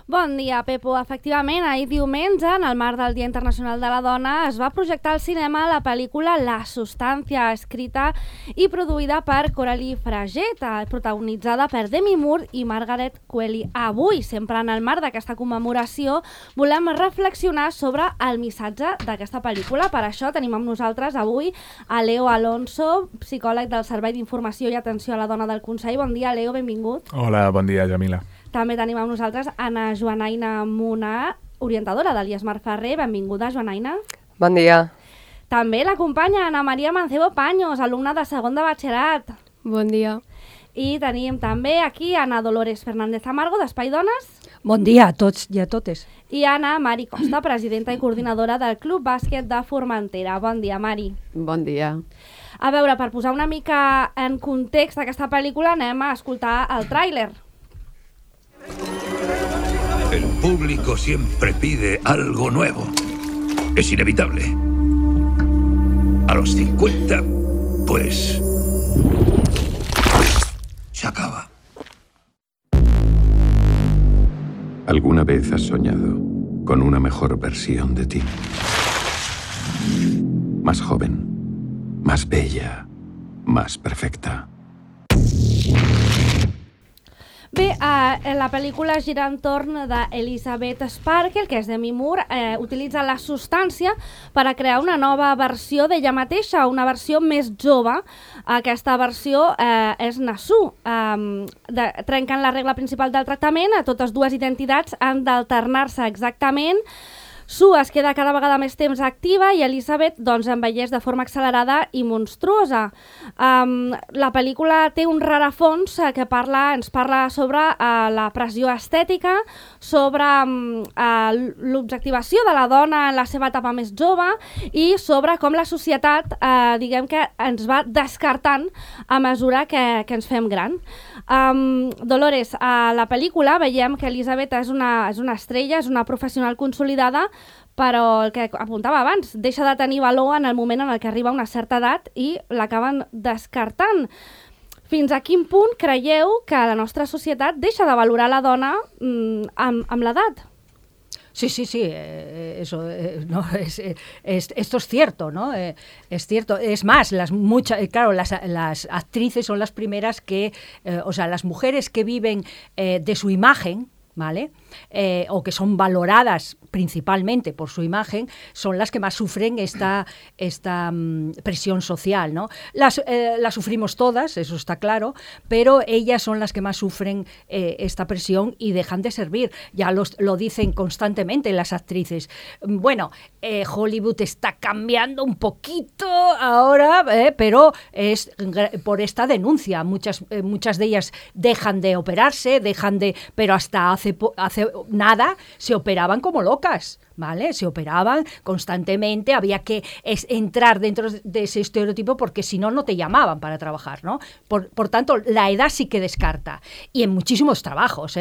Bon dia, Pepo. Efectivament, ahir diumenge, en el marc del Dia Internacional de la Dona, es va projectar al cinema la pel·lícula La Substància, escrita i produïda per Coralie Fraget, protagonitzada per Demi Moore i Margaret Qualley. Avui, sempre en el marc d'aquesta commemoració, volem reflexionar sobre el missatge d'aquesta pel·lícula. Per això tenim amb nosaltres avui a Leo Alonso, psicòleg del Servei d'Informació i Atenció a la Dona del Consell. Bon dia, Leo, benvingut. Hola, bon dia, Jamila. També tenim amb nosaltres Anna Joanaina Munar, orientadora de l'IESMAR Ferrer. Benvinguda, Joanaina. Bon dia. També l'acompanya Ana Maria Mancebo Paños, alumna de segon de batxillerat. Bon dia. I tenim també aquí Ana Dolores Fernández Amargo, d'Espai Dones. Bon dia a tots i a totes. I Ana Mari Costa, presidenta i coordinadora del Club Bàsquet de Formentera. Bon dia, Mari. Bon dia. A veure, per posar una mica en context d'aquesta pel·lícula, anem a escoltar el tràiler. El público siempre pide algo nuevo. Es inevitable. A los 50, pues... se acaba. ¿Alguna vez has soñado con una mejor versión de ti? Más joven, más bella, más perfecta. Bé, la pel·lícula gira entorn d'Elizabeth Sparkle, que és Demi Moore, utilitza la substància per a crear una nova versió d'ella mateixa, una versió més jove. Aquesta versió és Nasu. Trenquen la regla principal del tractament, totes dues identitats han d'alternar-se exactament. Sue es queda cada vegada més temps activa i Elizabeth doncs, envelleix de forma accelerada i monstruosa. La pel·lícula té un rerefons que ens parla sobre la pressió estètica, sobre l'objectivació de la dona en la seva etapa més jove i sobre com la societat diguem que ens va descartant a mesura que ens fem gran. Dolores, a la pel·lícula veiem que Elizabeth és una estrella, és una professional consolidada, però el que apuntava abans, deixa de tenir valor en el moment en el que arriba a una certa edat i l'acaben descartant. Fins a quin punt creieu que la nostra societat deixa de valorar la dona amb l'edat? Sí, eso, no, esto es cierto, ¿no? Es cierto. Es más, las actrices son las primeras que, o sea, las mujeres que viven de su imagen, ¿vale? O que son valoradas principalmente por su imagen, son las que más sufren esta presión social, ¿no? La sufrimos todas, eso está claro, pero ellas son las que más sufren esta presión y dejan de servir. Ya lo dicen constantemente las actrices. Bueno, Hollywood está cambiando un poquito ahora, pero es por esta denuncia. Muchas de ellas dejan de operarse, pero hasta hace nada se operaban como locas, ¿vale? Se operaban constantemente, había que entrar dentro de ese estereotipo porque si no, no te llamaban para trabajar, ¿no? Por tanto, la edad sí que descarta. Y en muchísimos trabajos,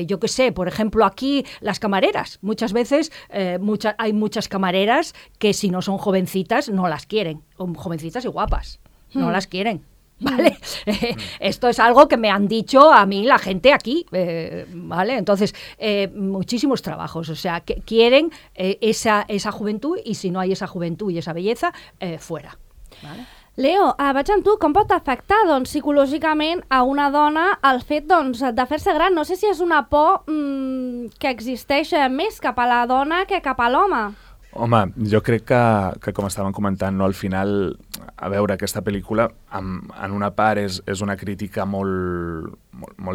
yo qué sé, por ejemplo, aquí las camareras. Muchas veces hay muchas camareras que si no son jovencitas no las quieren, jovencitas y guapas, no las quieren. ¿Vale? Esto es algo que me han dicho a mí la gente aquí, ¿vale? Entonces, muchísimos trabajos, o sea, que quieren esa juventud i si no hi ha esa juventud i esa belleza, fuera. ¿Vale? Leo, vaig amb tu. Com pot afectar psicològicament a una dona el fet de fer-se gran? No sé si és una por que existeix més cap a la dona que cap a l'home. Home, jo crec que com estàvem comentant, no, al final, a veure, aquesta pel·lícula, en una part és una crítica molt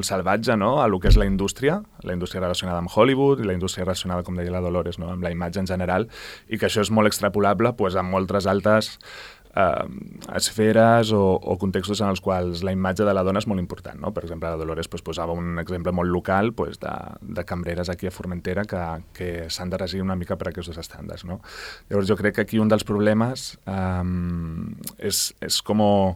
salvatge, no?, a lo que és la indústria relacionada amb Hollywood i la indústria relacionada, com deia la Dolores, no?, amb la imatge en general, i que això és molt extrapolable amb moltes altres esferes o contextos en els quals la imatge de la dona és molt important, no? Per exemple, la Dolores posava un exemple molt local de cambreres aquí a Formentera que s'han de regir una mica per aquests estàndards, no? Llavors jo crec que aquí un dels problemes és com el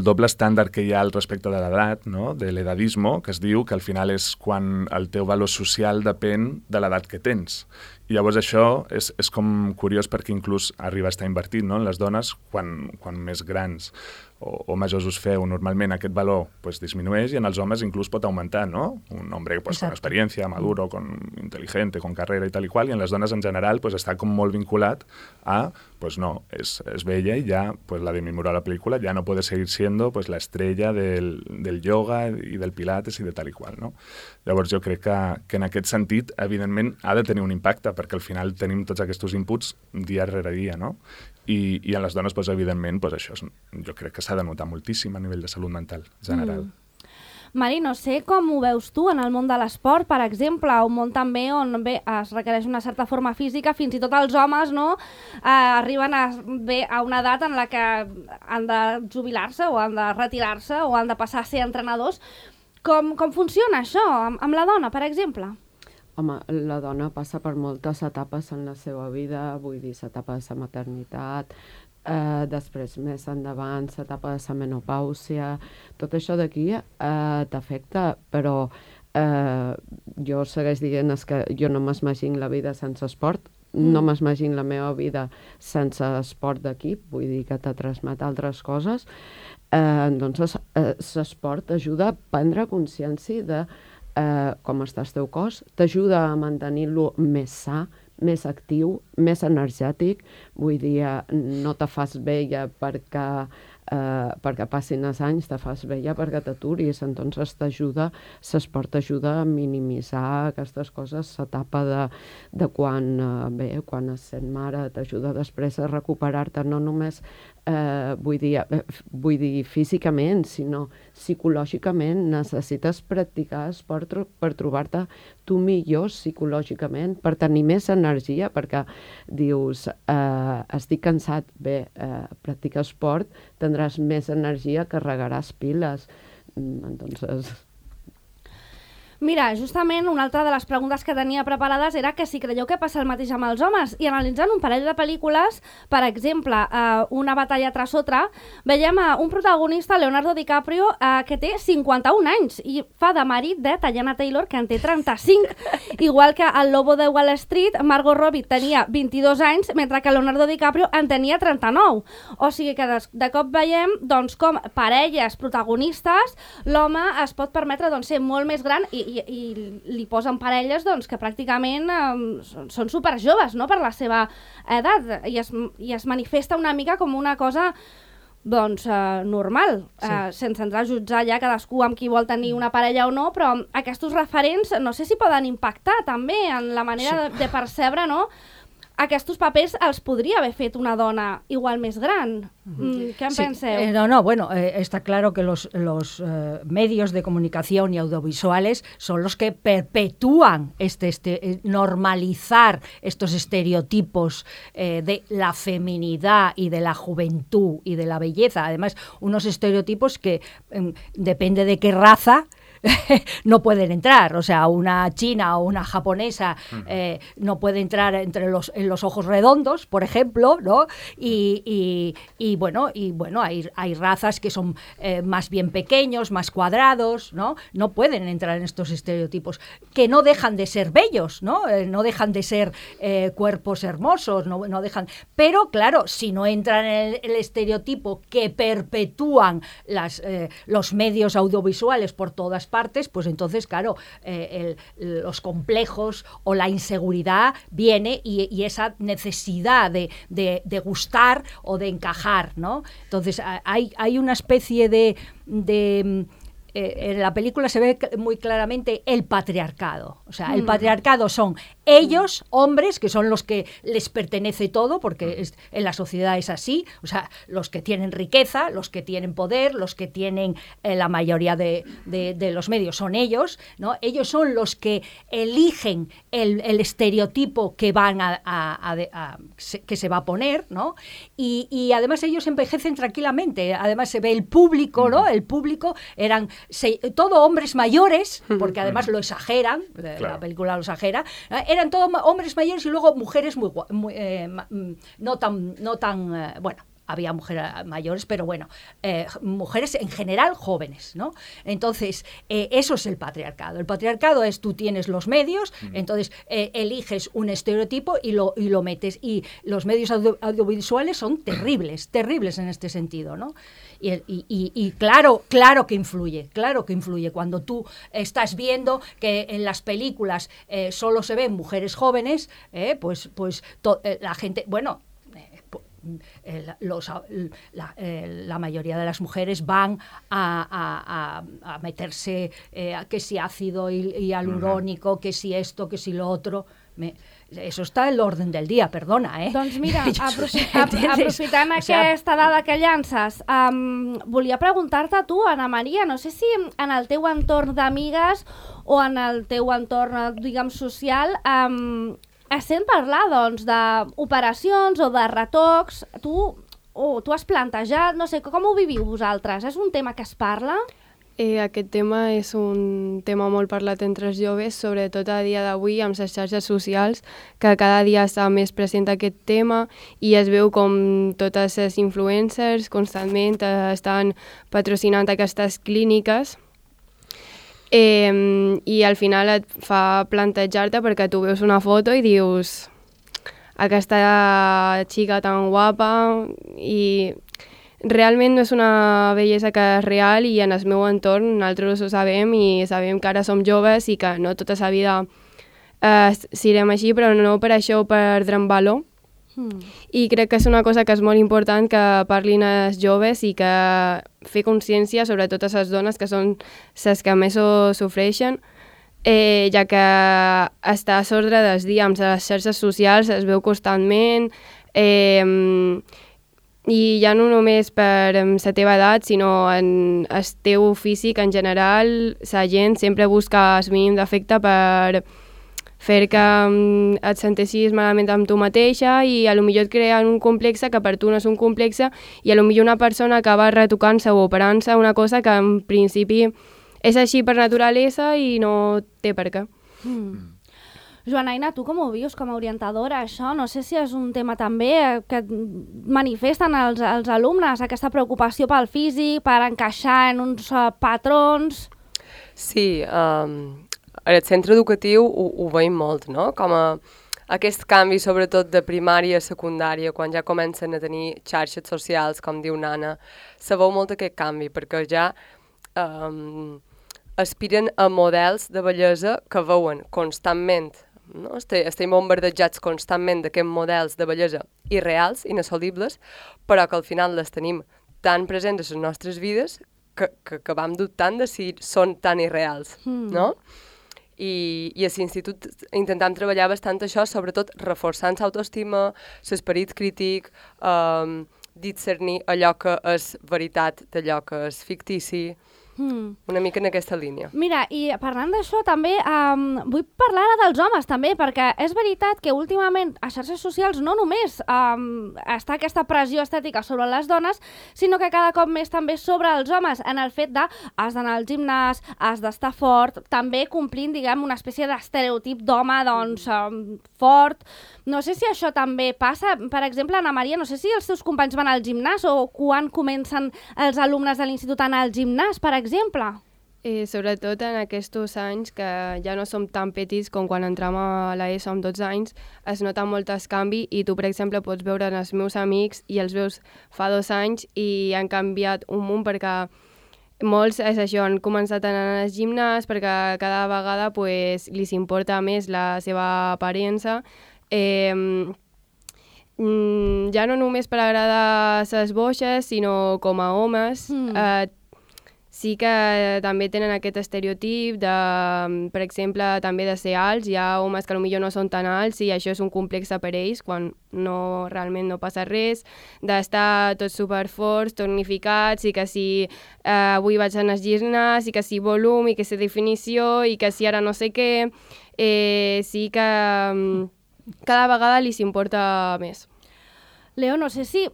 doble estàndard que hi ha al respecte de l'edat, no? De l'edadismo, que es diu que al final és quan el teu valor social depèn de l'edat que tens. I llavors això és com curiós perquè inclús arriba a estar invertit, no?, en les dones quan més grans. o majors us feu, normalment aquest valor pues, disminueix i en els homes inclús pot augmentar, ¿no? Un hombre pues, con experiencia, maduro, con inteligente, con carrera y tal y cual, y en les dones en general pues, està com molt vinculat a, pues no, es bella y ya, pues la Demi Moore a la película ya no puede seguir siendo pues la estrella del yoga y del pilates y de tal y qual, no? Llavors jo crec que en aquest sentit, evidentment, ha de tenir un impacte, perquè al final tenim tots aquests inputs dia rere dia, no? I en les dones, pues, evidentment, pues, això jo crec que s'ha de notar moltíssim a nivell de salut mental general. Mari, no sé com ho veus tu en el món de l'esport, per exemple, un món també on es requereix una certa forma física, fins i tot els homes no, arriben a una edat en la que han de jubilar-se o han de retirar-se o han de passar a ser entrenadors. Com funciona això amb la dona, per exemple? Home, la dona passa per moltes etapes en la seva vida, vull dir, l'etapa de la maternitat, després més endavant l'etapa de la menopàusia, tot això d'aquí t'afecta, però jo segueix dient que jo no m'imagino la vida sense esport, no m'imagino la meva vida sense esport d'equip, vull dir que te transmet altres coses, doncs l'esport t'ajuda a prendre consciència de com està el teu cos, t'ajuda a mantenir-lo més sa, més actiu, més energètic, vull dir, no te fas vella perquè passin els anys, te fas vella perquè t'aturis, entonces l'esport t'ajuda a minimitzar aquestes coses, l'etapa de quan es sent mare, t'ajuda després a recuperar-te, no només vull dir físicament, sinó psicològicament. Necessites practicar esport per trobar-te tu millor psicològicament, per tenir més energia, perquè dius, estic cansat, practica esport, tindràs més energia, carregaràs piles. Entonces... Mira, justament una altra de les preguntes que tenia preparades era que si creieu que passa el mateix amb els homes, i analitzant un parell de pel·lícules, per exemple, Una batalla tras otra, veiem un protagonista, Leonardo DiCaprio, que té 51 anys i fa de marit de Teyana Taylor, que en té 35, igual que el Lobo de Wall Street, Margot Robbie tenia 22 anys, mentre que Leonardo DiCaprio en tenia 39. O sigui que de cop veiem doncs, com parelles protagonistes, l'home es pot permetre ser molt més gran i li posen parelles que pràcticament són superjoves, no?, per la seva edat, i es manifesta una mica com una cosa normal, sense entrar a jutjar ja cadascú amb qui vol tenir una parella o no, però aquests referents no sé si poden impactar també en la manera de percebre, no?, aquests papers els podria haver fet una dona igual més gran. ¿Qué penseu? Bueno, está claro que los medios de comunicación y audiovisuales son los que perpetúan normalizar estos estereotipos de la feminidad y de la juventud y de la belleza. Además, unos estereotipos que depende de qué raza no pueden entrar, o sea, una china o una japonesa no puede entrar en los ojos redondos, por ejemplo, ¿no? Y bueno, hay razas que son más bien pequeños, más cuadrados, ¿no? No pueden entrar en estos estereotipos, que no dejan de ser bellos, ¿no? No dejan de ser cuerpos hermosos, no dejan, pero claro, si no entran en el estereotipo que perpetúan los medios audiovisuales por todas partes, pues entonces, claro, los complejos o la inseguridad viene y esa necesidad de gustar o de encajar, ¿no? Entonces, hay una especie de en la película se ve muy claramente el patriarcado. O sea, el patriarcado son ellos, hombres, que son los que les pertenece todo, porque en la sociedad es así. O sea, los que tienen riqueza, los que tienen poder, los que tienen la mayoría de los medios son ellos, ¿no? Ellos son los que eligen el estereotipo que van que se va a poner, ¿no? Y además ellos envejecen tranquilamente. Además se ve el público, ¿no? El público eran todo hombres mayores, porque además lo exageran, la película lo exagera, eran todos hombres mayores y luego mujeres no tan había mujeres mayores, pero bueno, mujeres en general jóvenes, ¿no? Entonces, eso es el patriarcado. El patriarcado es tú tienes los medios, entonces eliges un estereotipo y lo metes. Y los medios audiovisuales son terribles en este sentido, ¿no? Y claro que influye, Cuando tú estás viendo que en las películas solo se ven mujeres jóvenes, pues la gente, bueno, la mayoría de las mujeres van a meterse que si ácido hialurónico, que si esto, que si lo otro. Eso està en l'ordre del dia, perdona, Doncs mira, aprofitant aquesta dada que llances, volia preguntar-te a tu, Ana Maria, no sé si en el teu entorn d'amigues o en el teu entorn, diguem, social, es sent parlar, doncs, d'operacions o de retocs. Tu has plantejat, no sé, com ho viviu vosaltres? És un tema que es parla? Aquest tema és un tema molt parlat entre els joves, sobretot a dia d'avui amb les xarxes socials, que cada dia està més present aquest tema i es veu com totes les influencers constantment estan patrocinant aquestes clíniques i al final et fa plantejar-te perquè tu veus una foto i dius aquesta xica tan guapa i realment no és una bellesa que és real i en el meu entorn nosaltres ho sabem i sabem que ara som joves i que no tota la vida serem així, però no per això perdrem valor. I crec que és una cosa que és molt important que parlin els joves i que fer consciència sobre totes les dones que són les que més ho sofreixen, ja que està a l'ordre dels dies amb les xarxes socials, es veu constantment i ja no només per la teva edat, sinó en el teu físic en general. La gent sempre busca el mínim d'afecte per fer que et senteixis malament amb tu mateixa i potser et creen un complexe que per tu no és un complexe i potser una persona acaba retocant-se o operant-se una cosa que en principi és així per naturalesa i no té per què. Joanaina, tu com ho vius com a orientadora, això? No sé si és un tema també que manifesten els alumnes, aquesta preocupació pel físic, per encaixar en uns patrons... Sí, al centre educatiu ho veiem molt, no? Com aquest canvi, sobretot de primària a secundària, quan ja comencen a tenir xarxes socials, com diu Nana, se veu molt aquest canvi, perquè ja aspiren a models de bellesa que veuen constantment, no? Estem bombardejats constantment d'aquests models de bellesa irreals, inassolibles, però que al final les tenim tan presents a les nostres vides que vam dubtant de si són tan irreals, no? I a l'institut intentam treballar bastant això, sobretot reforçant l'autoestima, l'esperit crític, discernir allò que és veritat d'allò que és fictici, una mica en aquesta línia. Mira, i parlant d'això també, vull parlar ara dels homes també, perquè és veritat que últimament a xarxes socials no només està aquesta pressió estètica sobre les dones, sinó que cada cop més també sobre els homes, en el fet de has d'anar al gimnàs, has d'estar fort, també complint, diguem, una espècie d'estereotip d'home, doncs, fort. No sé si això també passa. Per exemple, Ana Maria, no sé si els teus companys van al gimnàs o quan comencen els alumnes de l'institut a anar al gimnàs, per exemple. Sobretot en aquests anys que ja no som tan petits com quan entrem a l'ESO amb 12 anys, es nota molt el canvi i tu, per exemple, pots veure els meus amics i els veus fa 2 anys i han canviat un munt perquè molts és això, han començat a anar al gimnàs perquè cada vegada pues, li importa més la seva aparença. Ja no només per agradar les boixes, sinó com a homes, sí que també tenen aquest estereotip de, per exemple, també de ser alts. Hi ha homes que potser no són tan alts i això és un complexe per ells, quan realment no passa res, d'estar tots superforts, tonificats, i que si avui vaig anar al gimnàs, i que si volum, i que si definició, i que si ara no sé què, sí que cada vegada li s'importa més. Leo, no sé si...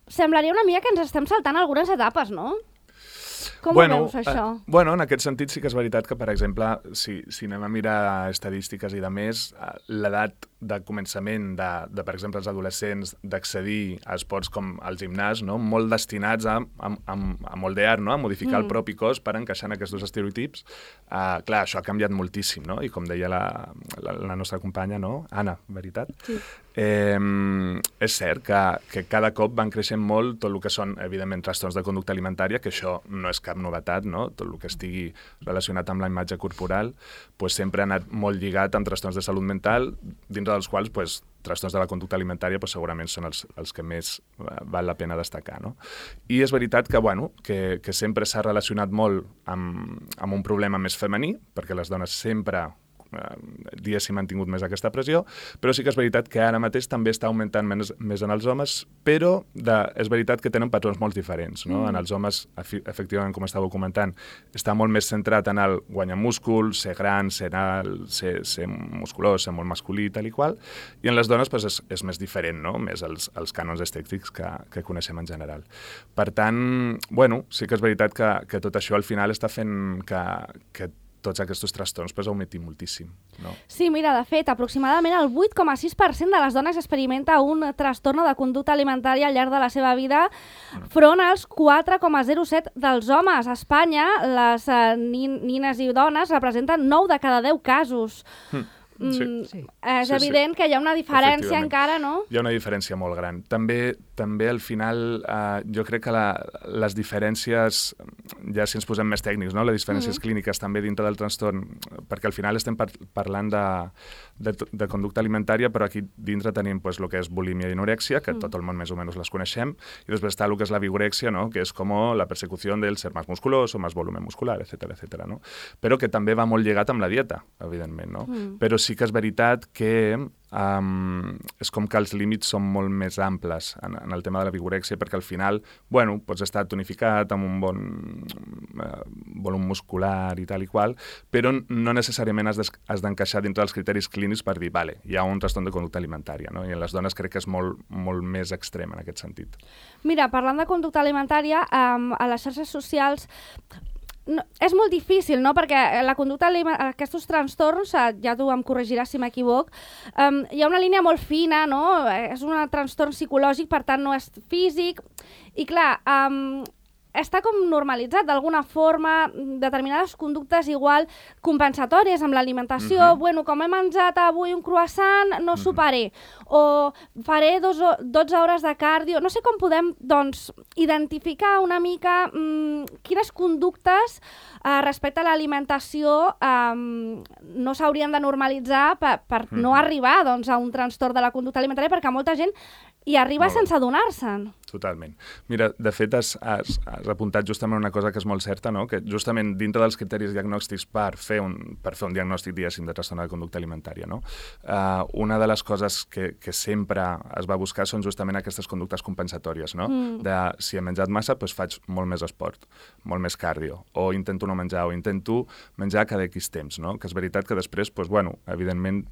Semblaria una mica que ens estem saltant algunes etapes, no? Com ho veus, això? En aquest sentit sí que és veritat que, per exemple, si anem a mirar estadístiques i de més, l'edat de començament de, per exemple, els adolescents d'accedir a esports com el gimnàs, no? Molt destinats a moldear, no? A modificar el propi cos per encaixar en aquests estereotips. Clar, això ha canviat moltíssim, no? I com deia la nostra companya, no? Anna, veritat? Sí. És cert que cada cop van creixent molt tot el que són, evidentment, trastorns de conducta alimentària, que això no és cap novetat, no? Tot el que estigui relacionat amb la imatge corporal pues, sempre ha anat molt lligat amb trastorns de salut mental, dintre dels quals pues, trastorns de la conducta alimentària pues, segurament són els que més val la pena destacar. No? I és veritat que sempre s'ha relacionat molt amb un problema més femení, perquè les dones sempre diguéssim han tingut més aquesta pressió, però sí que és veritat que ara mateix també està augmentant més en els homes, però és veritat que tenen patrons molt diferents. No? En els homes, efectivament, com estàveu comentant, està molt més centrat en el guanyar múscul, ser gran, ser alt, ser musculós, ser molt masculí, tal i qual, i en les dones pues, és més diferent, no? Més els cànons estètics que coneixem en general. Per tant, sí que és veritat que tot això al final està fent que tots aquests trastorns pues, augmentin moltíssim. No? Sí, mira, de fet, aproximadament el 8,6% de les dones experimenta un trastorn de conducta alimentària al llarg de la seva vida, front als 4,07% dels homes. A Espanya, les nines i dones representen 9 de cada 10 casos. Sí. És evident que hi ha una diferència encara, no? Hi ha una diferència molt gran. També al final, jo crec que les diferències, ja si ens posem més tècnics, no? Les diferències clíniques també dintre del trastorn, perquè al final estem parlant de conducta alimentària, però aquí dintre tenim pues, el que és bulímia i anorèxia, que tot el món més o menys les coneixem, i després està el que és la vigorèxia, no? Que és com la persecució del ser més musculós o més volumen muscular, etc. No? Però que també va molt lligat amb la dieta, evidentment, no? Però sí que és veritat que és com que els límits són molt més amples en el tema de la vigorèxia, perquè al final, pots estar tonificat amb un bon volum muscular i tal i qual, però no necessàriament has d'encaixar dintre dels criteris clínics per dir, vale, hi ha un trastorn de conducta alimentària, no? I en les dones crec que és molt, molt més extrem en aquest sentit. Mira, parlant de conducta alimentària, a les xarxes socials és molt difícil, no? Perquè la conducta aquests trastorns, ja tu em corregiràs si m'equivoc, hi ha una línia molt fina, no? És un trastorn psicològic, per tant no és físic, i clar, està com normalitzat d'alguna forma, determinades conductes igual compensatòries amb l'alimentació, com he menjat avui un croissant, no soparé, o faré 12 hores de cardio. No sé com podem, doncs, identificar una mica quines conductes respecte a l'alimentació no s'haurien de normalitzar per no arribar doncs, a un trastorn de la conducta alimentària, perquè molta gent hi arriba sense adonar-se'n. Totalment. Mira, de fet, has apuntat justament una cosa que és molt certa, no? Que justament dintre dels criteris diagnòstics per fer un diagnòstic, diguéssim, de trastorn de conducta alimentària, no? Una de les coses que sempre es va buscar són justament aquestes conductes compensatòries, no? De si he menjat massa, doncs faig molt més esport, molt més cardio, o intento no menjar, o intento menjar cada X temps, no? Que és veritat que després, doncs, evidentment,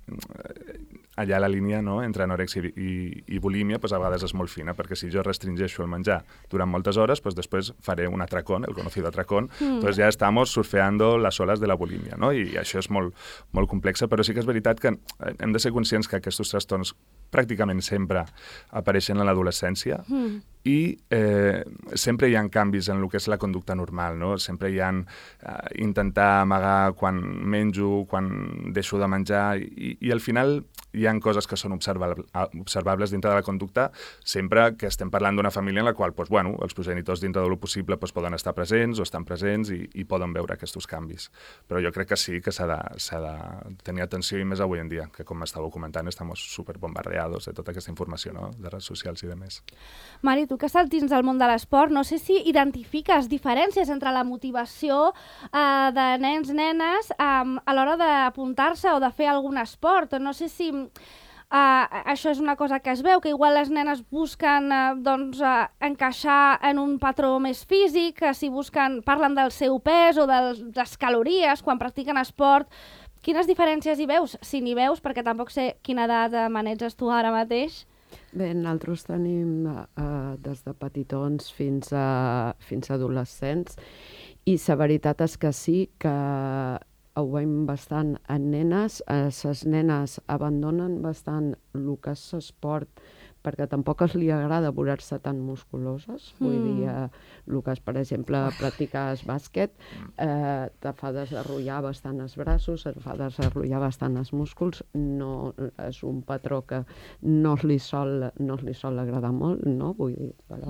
allà la línia, no? Entre anorèxia i bulímia, doncs a vegades és molt fina, perquè si jo restringeixo el menjar durant moltes hores, pues después faré un atracón, el conocido atracón, pues ya estamos surfeando las olas de la bulímia, no? I això és molt, molt complexa, però sí que és veritat que hem de ser conscients que aquests trastorns pràcticament sempre apareixen en l'adolescència i sempre hi ha canvis en el que és la conducta normal, no? Sempre hi ha intentar amagar quan menjo, quan deixo de menjar i al final hi ha coses que són observables dintre de la conducta sempre que estem parlant d'una família en la qual doncs, els progenitors dintre de lo possible doncs, poden estar presents o estan presents i poden veure aquests canvis. Però jo crec que sí que s'ha de tenir atenció i més avui en dia, que com estàveu comentant estem superbombardeados de tota aquesta informació, no? De redes socials i demés. Mari, tu que estàs dins del món de l'esport, no sé si identifiques diferències entre la motivació de nens, nenes a l'hora d'apuntar-se o de fer algun esport. No sé si això és una cosa que es veu, que igual les nenes busquen encaixar en un patró més físic, que si parlen del seu pes o de les calories quan practiquen esport. Quines diferències hi veus? Si n'hi veus, perquè tampoc sé quina edat maneges tu ara mateix. Bé, nosaltres tenim des de petitons fins a adolescents I la veritat és que sí que ho veiem bastant en nenes. Les nenes abandonen bastant el que és l'esport perquè tampoc li agrada veure-se tan musculoses. Vull dir, el que és, per exemple, practicar el bàsquet, te fa desenvolupar bastant els braços, et fa desenvolupar bastant els músculs. No, és un patró que no li sol agradar molt, no? Vull dir, però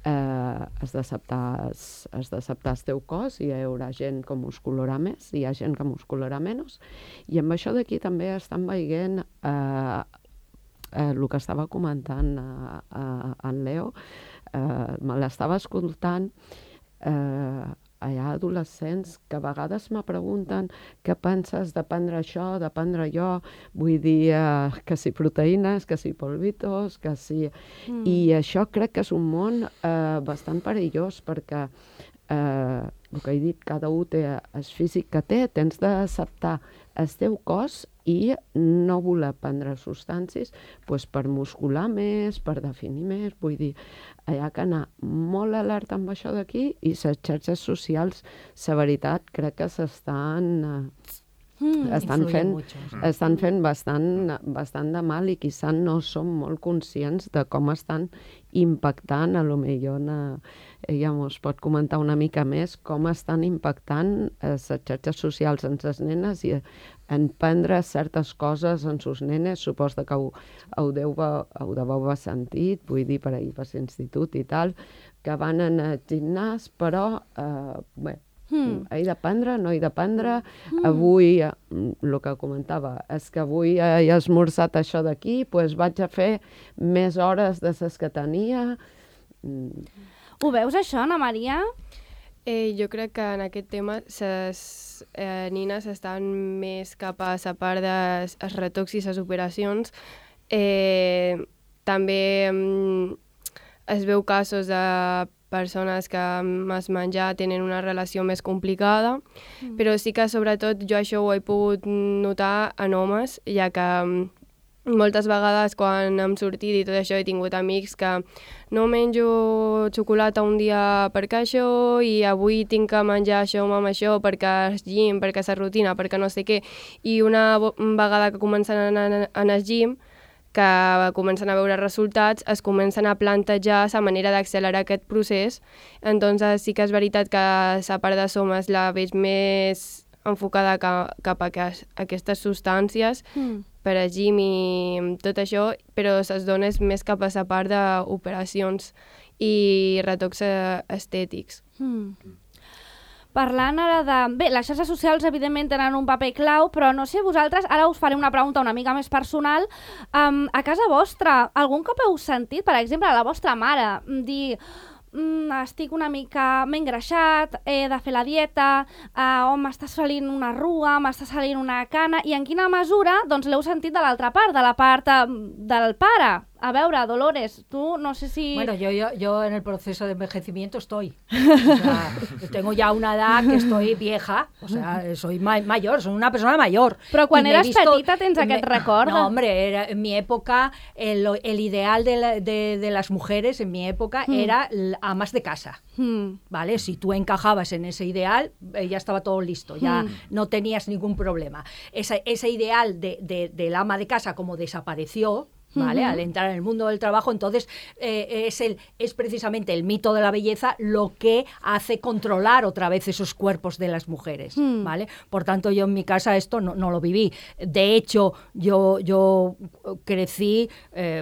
has d'acceptar el teu cos, i hi haurà gent que muscularà més, hi ha gent que muscularà menys, i amb això d'aquí també estan veient el que estava comentant en Leo, me l'estava escoltant. Hi ha adolescents que a vegades me pregunten què penses de prendre això, de prendre allò, vull dir, que si proteïnes, que si polvitos, que si... I això crec que és un món bastant perillós, perquè el que he dit, cada un té el físic que té, tens d'acceptar el teu cos i no voler prendre substàncies per muscular més, per definir més. Vull dir, hi ha que anar molt alerta amb això d'aquí, i les xarxes socials, la veritat, crec que estan fent bastant de mal, i quizá no som molt conscients de com estan impactant. A lo millor ella ens pot comentar una mica més com estan impactant les xarxes socials en les nenes i en prendre certes coses en les nenes. Suposo que ho deveu haver sentit, vull dir, per ahir per l'institut i tal, que van anar al gimnàs, però bé, he de prendre, no he de prendre. Avui, el que comentava, és que avui he esmorzat això d'aquí, doncs vaig a fer més hores de les que tenia. Ho veus, això, Ana Maria? Jo crec que en aquest tema les nines estan més cap a la part dels retocs i les operacions. També es veu casos de persones que amb el menjar tenen una relació més complicada, però sí que sobretot jo això ho he pogut notar en homes, ja que moltes vegades quan hem sortit i tot això he tingut amics que no menjo xocolata un dia perquè això, i avui tinc que menjar això amb això perquè el gym, perquè la rutina, perquè no sé què, i una vegada que comencen a anar al gym, que comencen a veure resultats, es comencen a plantejar la manera d'accelerar aquest procés. Entonces sí que és veritat que la part de somes la veig més enfocada cap a aquestes substàncies per al gym i tot això, però les dones més cap a la part d'operacions i retocs estètics. Parlant ara de... Bé, les xarxes socials evidentment tenen un paper clau, però no sé vosaltres, ara us faré una pregunta una mica més personal. A casa vostra, algun cop heu sentit, per exemple, a la vostra mare dir estic una mica... m'he engreixat, he de fer la dieta, m'està salint una arruga, m'està salint una cana, i en quina mesura doncs l'heu sentit de l'altra part, de la part del pare? A veure, Dolores, tú no sé si... Bueno, yo en el proceso de envejecimiento estoy. O sea, tengo ya una edad que estoy vieja, o sea, soy mayor, soy una persona mayor. Però quan eres petita tens aquest record? No, hombre, en mi época, el ideal de las mujeres en mi época era amas de casa. ¿Vale? Si tú encajabas en ese ideal, ya estaba todo listo, ya no tenías ningún problema. Ese ideal del ama de casa como desapareció, ¿vale? Al entrar en el mundo del trabajo, entonces es precisamente el mito de la belleza lo que hace controlar otra vez esos cuerpos de las mujeres, ¿vale? Por tanto, yo en mi casa esto no lo viví. De hecho, yo crecí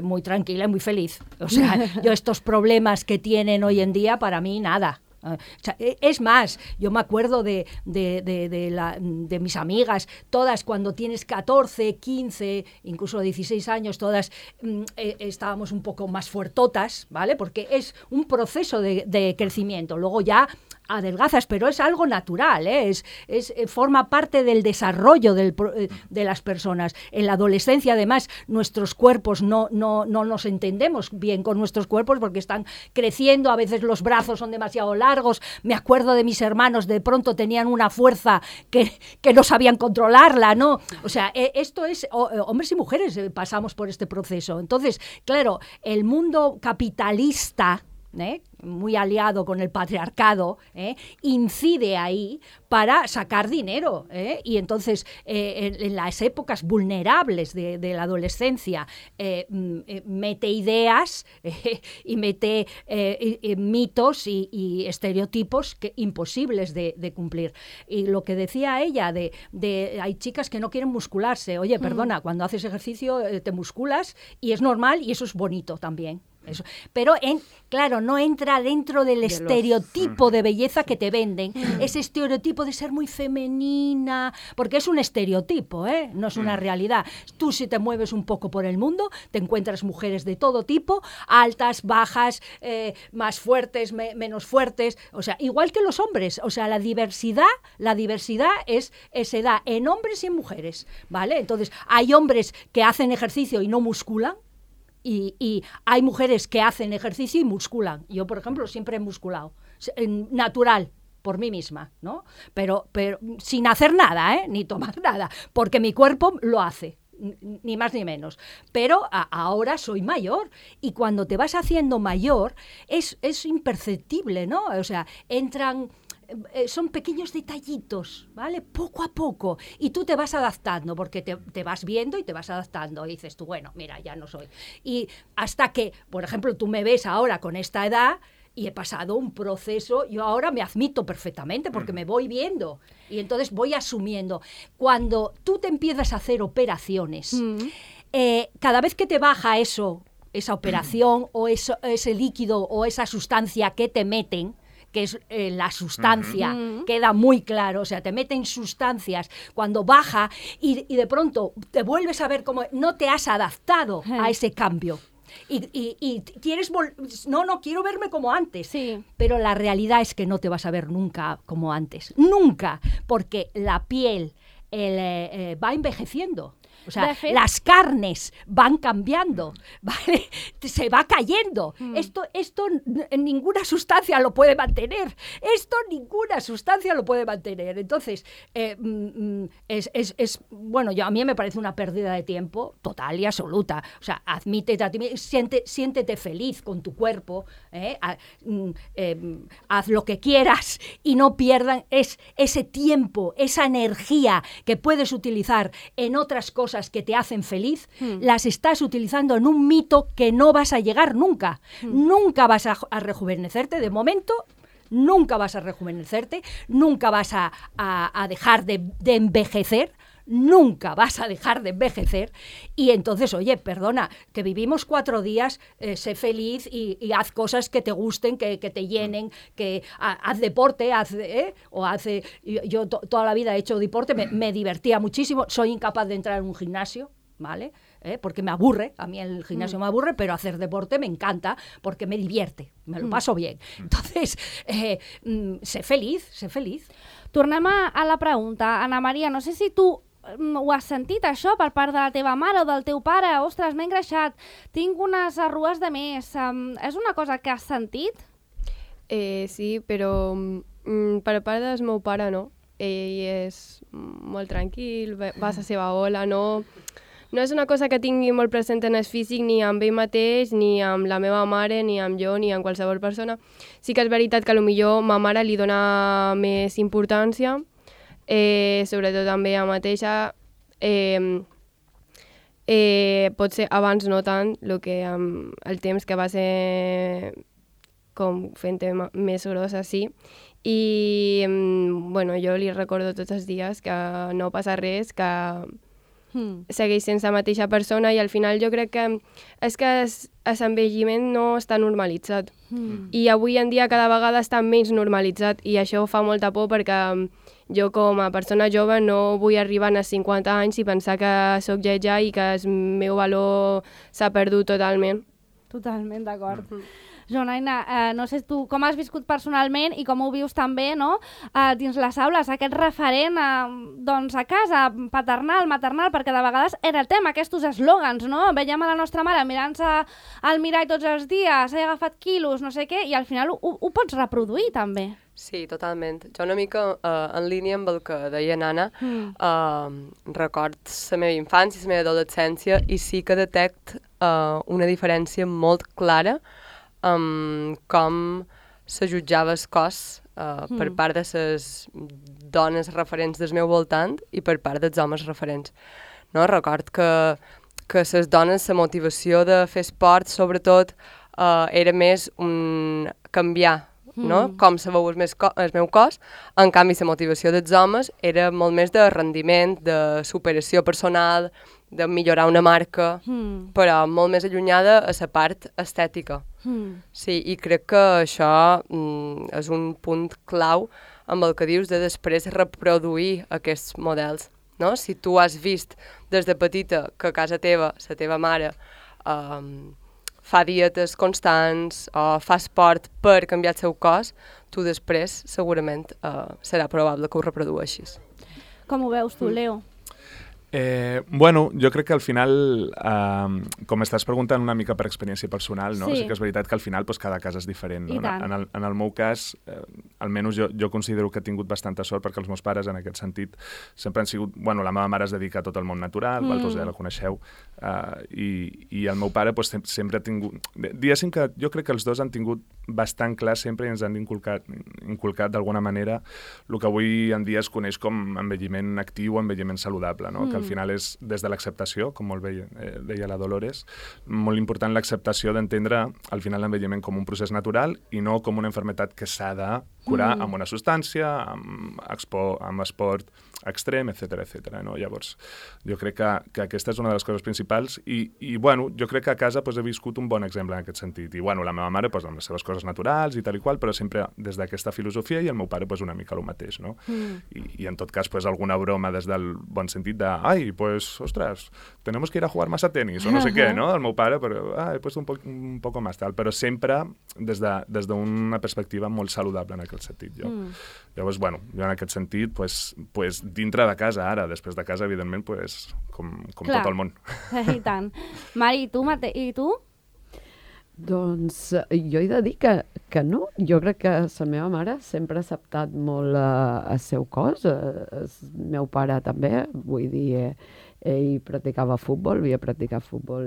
muy tranquila y muy feliz. O sea, yo estos problemas que tienen hoy en día, para mí, nada. O sea, es más, yo me acuerdo de mis amigas, todas cuando tienes 14, 15, incluso 16 años, todas estábamos un poco más fuertotas, ¿vale? Porque es un proceso de crecimiento. Luego ya adelgazas, pero es algo natural, ¿eh? Forma parte del desarrollo de las personas. En la adolescencia, además, nuestros cuerpos no nos entendemos bien con nuestros cuerpos porque están creciendo, a veces los brazos son demasiado largos. Me acuerdo de mis hermanos, de pronto tenían una fuerza que no sabían controlarla, ¿no? O sea, esto es, hombres y mujeres pasamos por este proceso. Entonces, claro, el mundo capitalista, muy aliado con el patriarcado, incide ahí para sacar dinero. Y entonces, en las épocas vulnerables de la adolescencia, mete ideas y mete mitos y estereotipos imposibles de cumplir. Y lo que decía ella, hay chicas que no quieren muscularse. Oye, perdona, cuando haces ejercicio te musculas y es normal y eso es bonito también. Eso. Pero, claro, no entra dentro del estereotipo de belleza que te venden. Ese estereotipo de ser muy femenina, porque es un estereotipo, no es una realidad. Tú, si te mueves un poco por el mundo, te encuentras mujeres de todo tipo, altas, bajas, más fuertes, menos fuertes, o sea, igual que los hombres. O sea, la diversidad se da en hombres y en mujeres, ¿vale? Entonces, hay hombres que hacen ejercicio y no musculan, y hay mujeres que hacen ejercicio y musculan. Yo, por ejemplo, siempre he musculado, natural, por mí misma, ¿no? Pero sin hacer nada, ni tomar nada, porque mi cuerpo lo hace, ni más ni menos. Pero ahora soy mayor, y cuando te vas haciendo mayor es imperceptible, ¿no? O sea, son pequeños detallitos, ¿vale? Poco a poco. Y tú te vas adaptando, porque te vas viendo y te vas adaptando. Y dices tú, bueno, mira, ya no soy. Y hasta que, por ejemplo, tú me ves ahora con esta edad y he pasado un proceso, yo ahora me admito perfectamente porque me voy viendo. Y entonces voy asumiendo. Cuando tú te empiezas a hacer operaciones, cada vez que te baja esa operación o ese líquido o esa sustancia que te meten, que es la sustancia, queda muy claro, o sea, te meten sustancias cuando baja y de pronto te vuelves a ver como no te has adaptado a ese cambio. Y quieres no quiero verme como antes, pero la realidad es que no te vas a ver nunca como antes, nunca, porque la piel va envejeciendo. O sea, las carnes van cambiando, ¿vale? Se va cayendo. Esto ninguna sustancia lo puede mantener. Ninguna sustancia lo puede mantener. Entonces, bueno, a mí me parece una pérdida de tiempo total y absoluta. O sea, admítete a ti, siéntete feliz con tu cuerpo, haz lo que quieras y no pierdan ese tiempo, esa energía que puedes utilizar en otras cosas que te hacen feliz, las estás utilizando en un mito que no vas a llegar nunca. Nunca vas a rejuvenecerte, de momento, nunca vas a rejuvenecerte, nunca vas a dejar de envejecer, nunca vas a dejar de envejecer. Y entonces, oye, perdona, que vivimos 4 días, sé feliz y haz cosas que te gusten, que te llenen, que haz deporte, yo toda la vida he hecho deporte, me divertía muchísimo, soy incapaz de entrar en un gimnasio, ¿vale? Porque me aburre, a mí el gimnasio me aburre, pero hacer deporte me encanta porque me divierte, me lo paso bien. Entonces, sé feliz. Tornem a la pregunta. Ana Maria, no sé si tu ho has sentit, això, per part de la teva mare o del teu pare? Ostres, m'he engreixat, tinc unes arrugues de més. És una cosa que has sentit? Sí, però per part del meu pare no. Ell és molt tranquil, va a la seva ola, no és una cosa que tingui molt present en el físic ni amb ell mateix, ni amb la meva mare, ni amb jo, ni amb qualsevol persona. Sí que és veritat que potser ma mare li dona més importància, sobretot també a mateixa, potser abans no tant, el temps que va ser com fent-te més grossa, sí. I bueno, jo li recordo tots els dies que no passa res, que segueix sent la mateixa persona, i al final jo crec que és que l'envelliment no està normalitzat. I avui en dia cada vegada està menys normalitzat, i això fa molta por perquè jo com a persona jove no vull arribar als 50 anys i pensar que sóc lletja i que el meu valor s'ha perdut totalment. Totalment d'acord. Joanaina, no sé tu com has viscut personalment i com ho vius també, no? Dins les aules, aquest referent doncs a casa, paternal, maternal, perquè de vegades era el tema, aquests eslògans, no? Veiem a la nostra mare mirant-se al mirall tots els dies, s'ha agafat quilos, no sé què, i al final ho pots reproduir també. Sí, totalment. Jo una mica en línia amb el que deia Nana, record la meva infància, la meva adolescència, i sí que detect una diferència molt clara com se jutjava el cos per part de les dones referents del meu voltant i per part dels homes referents. No? Record que les dones, la motivació de fer esport, sobretot, era més canviar, no? Com se veu el meu cos. En canvi, la motivació dels homes era molt més de rendiment, de superació personal, de millorar una marca, però molt més allunyada a la part estètica. Sí, i crec que això és un punt clau amb el que dius de després reproduir aquests models. No? Si tu has vist des de petita que a casa teva, la teva mare, fa dietes constants o fa esport per canviar el seu cos, tu després segurament serà probable que ho reprodueixis. Com ho veus tu, Leo? Bueno, jo crec que al final, com estàs preguntant una mica per experiència personal, no? Sí que és veritat que al final pues, cada cas és diferent. No? En el meu cas, almenys jo considero que he tingut bastanta sort perquè els meus pares, en aquest sentit, sempre han sigut... Bueno, la meva mare es dedica a tot el món natural, vosaltres ja la coneixeu, i el meu pare pues, sempre ha tingut... Diguéssim que jo crec que els dos han tingut bastant clar sempre i ens han inculcat d'alguna manera el que avui en dia es coneix com envelliment actiu o envelliment saludable, no? Que al final és des de l'acceptació, com molt bé deia la Dolores, molt important l'acceptació d'entendre al final l'envelliment com un procés natural i no com una malaltia que s'ha de curar amb una substància, amb esport extrem, etc. No? Llavors, jo crec que aquesta és una de les coses principals i bueno, jo crec que a casa pues, he viscut un bon exemple en aquest sentit. I bueno, la meva mare pues, amb les seves coses naturals i tal i qual, però sempre des d'aquesta filosofia i el meu pare pues, una mica el mateix, no? I en tot cas pues, alguna broma des del bon sentit de ai, pues, ostras, tenemos que ir a jugar más a tenis o no sé què, no? El meu pare, però he puesto un poco más tal, però sempre des d'una perspectiva molt saludable en aquest sentit, jo. Llavors, bueno, jo en aquest sentit, pues, dintre de casa ara, després de casa, evidentment, pues, com tot el món. I tant. Mari, i tu? Doncs jo he de dir que no. Jo crec que la meva mare sempre ha acceptat molt el seu cos, el meu pare també, vull dir, ell practicava futbol, havia practicat futbol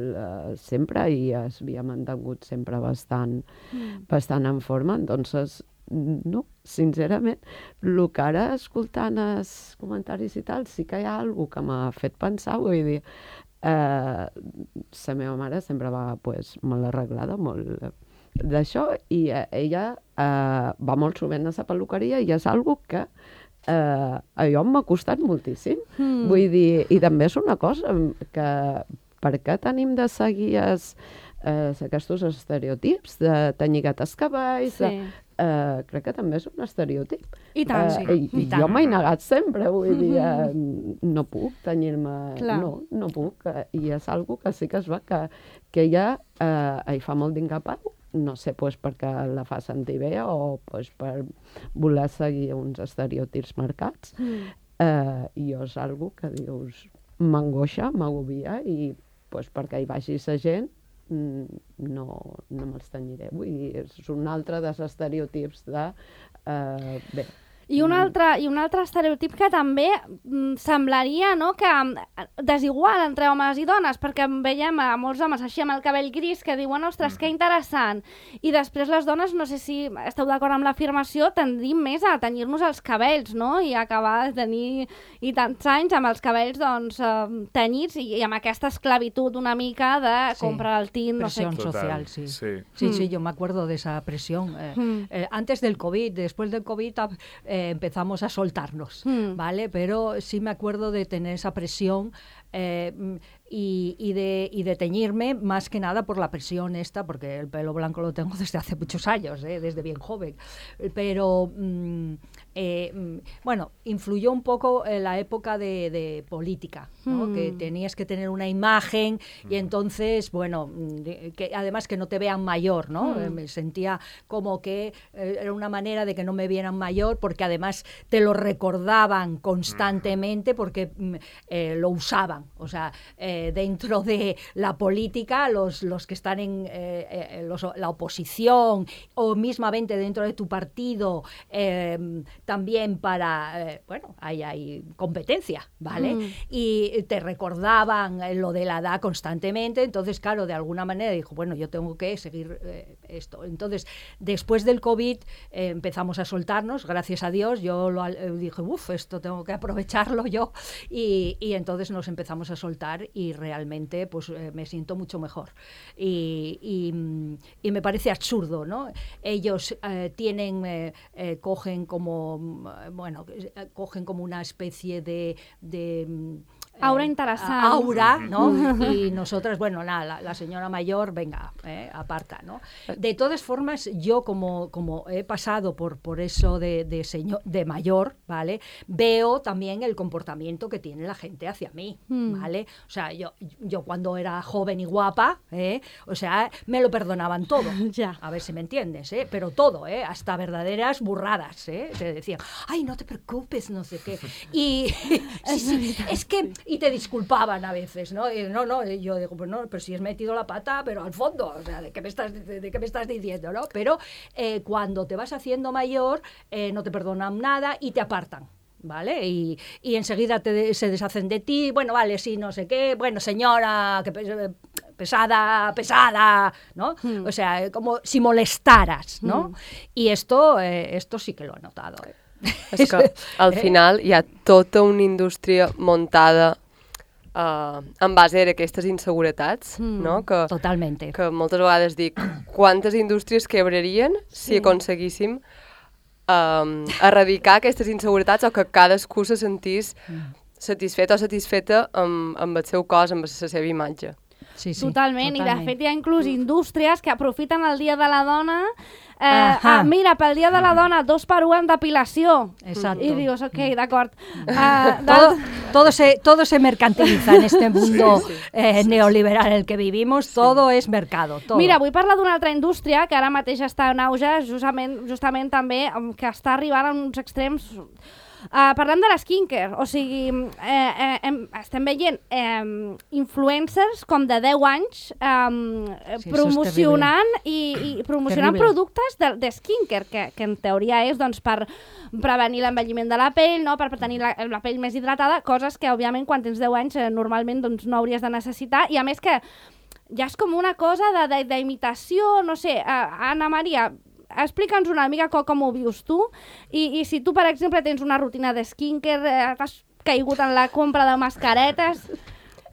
sempre i es havia mantingut sempre bastant en forma, entonces no, sincerament, el que ara escoltant els comentaris i tal, sí que hi ha alguna cosa que m'ha fet pensar, vull dir, la meva mare sempre va molt arreglada, molt d'això, i ella va molt sovint a la peluqueria i és una cosa que a jo m'ha costat moltíssim. Vull dir, i també és una cosa que per què tenim de seguir aquests estereotips de tenyir els cabells, crec que també és un estereotip. I tant, sí. Jo m'he negat sempre, vull dir, no puc tenyir-me, no puc, i és una cosa que sí que es va que ella hi fa molt d'incapau, no sé perquè la fa sentir bé o per voler seguir uns estereotips marcats, i és una cosa que dius, m'angoixa, m'agobia, i perquè hi vagi la gent no me'ls tenyiré. Vull dir, és un altre dels estereotips de... bé. I un altre estereotip que també semblaria, no?, que desigual entre homes i dones, perquè veiem a molts homes així amb el cabell gris que diuen, ostres, que interessant, i després les dones, no sé si esteu d'acord amb l'afirmació, tendim més a tenyir-nos els cabells, no?, i acabar de tenir i tants anys amb els cabells, doncs, tenyits i amb aquesta esclavitud una mica de comprar el tint, no sé. Presión social, sí. Sí, yo me acuerdo de esa presión. Antes del COVID, después del COVID... empezamos a soltarnos, ¿vale? Pero sí me acuerdo de tener esa presión y de teñirme más que nada por la presión esta, porque el pelo blanco lo tengo desde hace muchos años, desde bien joven. Pero, bueno, influyó un poco en la época de política, ¿no? Que tenías que tener una imagen y entonces, bueno, que además que no te vean mayor, ¿no? Me sentía como que era una manera de que no me vieran mayor, porque además te lo recordaban constantemente porque lo usaban. perturban. O sea, dentro de la política, los que están en la oposición o mismamente dentro de tu partido, también para, hay competencia, ¿vale? Y te recordaban lo de la edad constantemente, entonces, claro, de alguna manera dijo, bueno, yo tengo que seguir esto. Entonces, después del COVID empezamos a soltarnos, gracias a Dios, yo dije, esto tengo que aprovecharlo yo, y entonces nos empezamos a soltar y realmente pues me siento mucho mejor. Y me parece absurdo, ¿no? Ellos cogen como una especie de aura interessant. Aura, ¿no? Y nosotras, la señora mayor, venga, aparta, ¿no? De todas formas, yo como he pasado por eso de mayor, ¿vale? Veo también el comportamiento que tiene la gente hacia mí, ¿vale? O sea, yo cuando era joven y guapa, o sea, me lo perdonaban todo. Ya. A ver si me entiendes, pero todo, hasta verdaderas burradas, Te decían, ay, no te preocupes, no sé qué. Y sí, es que... Y te disculpaban a veces, ¿no? Yo digo, pues no, pero si has metido la pata, pero al fondo, o sea, ¿de qué me estás diciendo, no? Pero cuando te vas haciendo mayor, no te perdonan nada y te apartan, ¿vale? Y enseguida se deshacen de ti, bueno, vale, sí, no sé qué, bueno, señora, que pesada, ¿no? O sea, como si molestaras, ¿no? Y esto sí que lo he notado, És que al final hi ha tota una indústria montada en base a aquestes inseguretats, no? Totalmente. Que moltes vegades dic, quantes indústries quebrarien si aconseguíssim erradicar aquestes inseguretats o que cadascú se sentís satisfet o satisfeta amb el seu cos, amb la seva imatge. Sí, totalment, i de fet hi ha inclús indústries que aprofiten el Dia de la Dona. Mira, pel Dia de la Dona 2x1 en depilació. Exacto. Y dius, ok, d'acord. Todo se mercantiliza en este mundo neoliberal en el que vivimos, todo es mercado. Todo. Mira, vull parlar d'una altra indústria que ara mateix està en auge, justament també, que està arribant a uns extrems. Parlem de la skincare, o sigui, estem veient influencers com de 10 anys promocionant promocionant productes de skincare, que en teoria és doncs, per prevenir l'envelliment de la pell, no? Per tenir la pell més hidratada, coses que, òbviament, quan tens 10 anys normalment doncs, no hauries de necessitar, i a més que ja és com una cosa d'imitació, no sé, Anna Maria, explica'ns una mica com ho vius tu, i si tu, per exemple, tens una rutina de skincare, t'has caigut en la compra de mascaretes...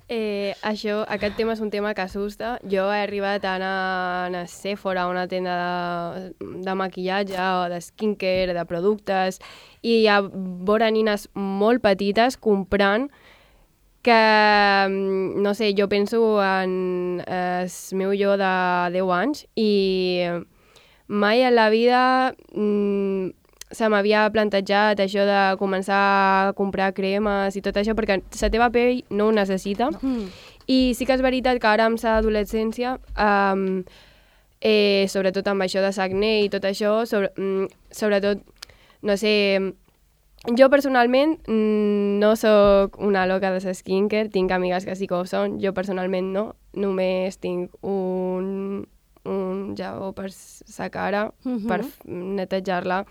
Aquest tema és un tema que assusta. Jo he arribat a anar a Sephora, una tenda de maquillatge o de skincare, de productes, i hi ha veure nines molt petites comprant que, no sé, jo penso en el meu jo de 10 anys i mai en la vida se m'havia plantejat això de començar a comprar cremes i tot això, perquè la teva pell no ho necessita. I sí que és veritat que ara amb l'adolescència, sobretot amb això de l'acné i tot això, sobretot, no sé, jo personalment no sóc una loca de la skincare, tinc amigues que sí que ho són, jo personalment no, només tinc un jabó per la cara, per netejar-la,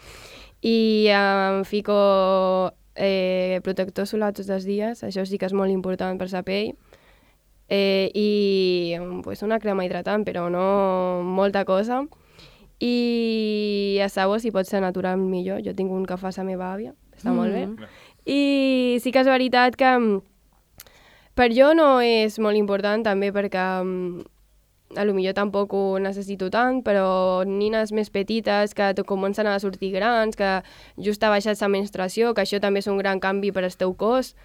i em fico protector solar tots els dies, això sí que és molt important per la pell, i una crema hidratant, però no molta cosa, i a sabó si pot ser natural millor, jo tinc un que fa la meva àvia, està molt bé, i sí que és veritat que per jo no és molt important també perquè a lo millor tampoc ho necessito tant, però nines més petites que comencen a sortir grans, que just ha baixat la menstruació, que això també és un gran canvi per al teu cos,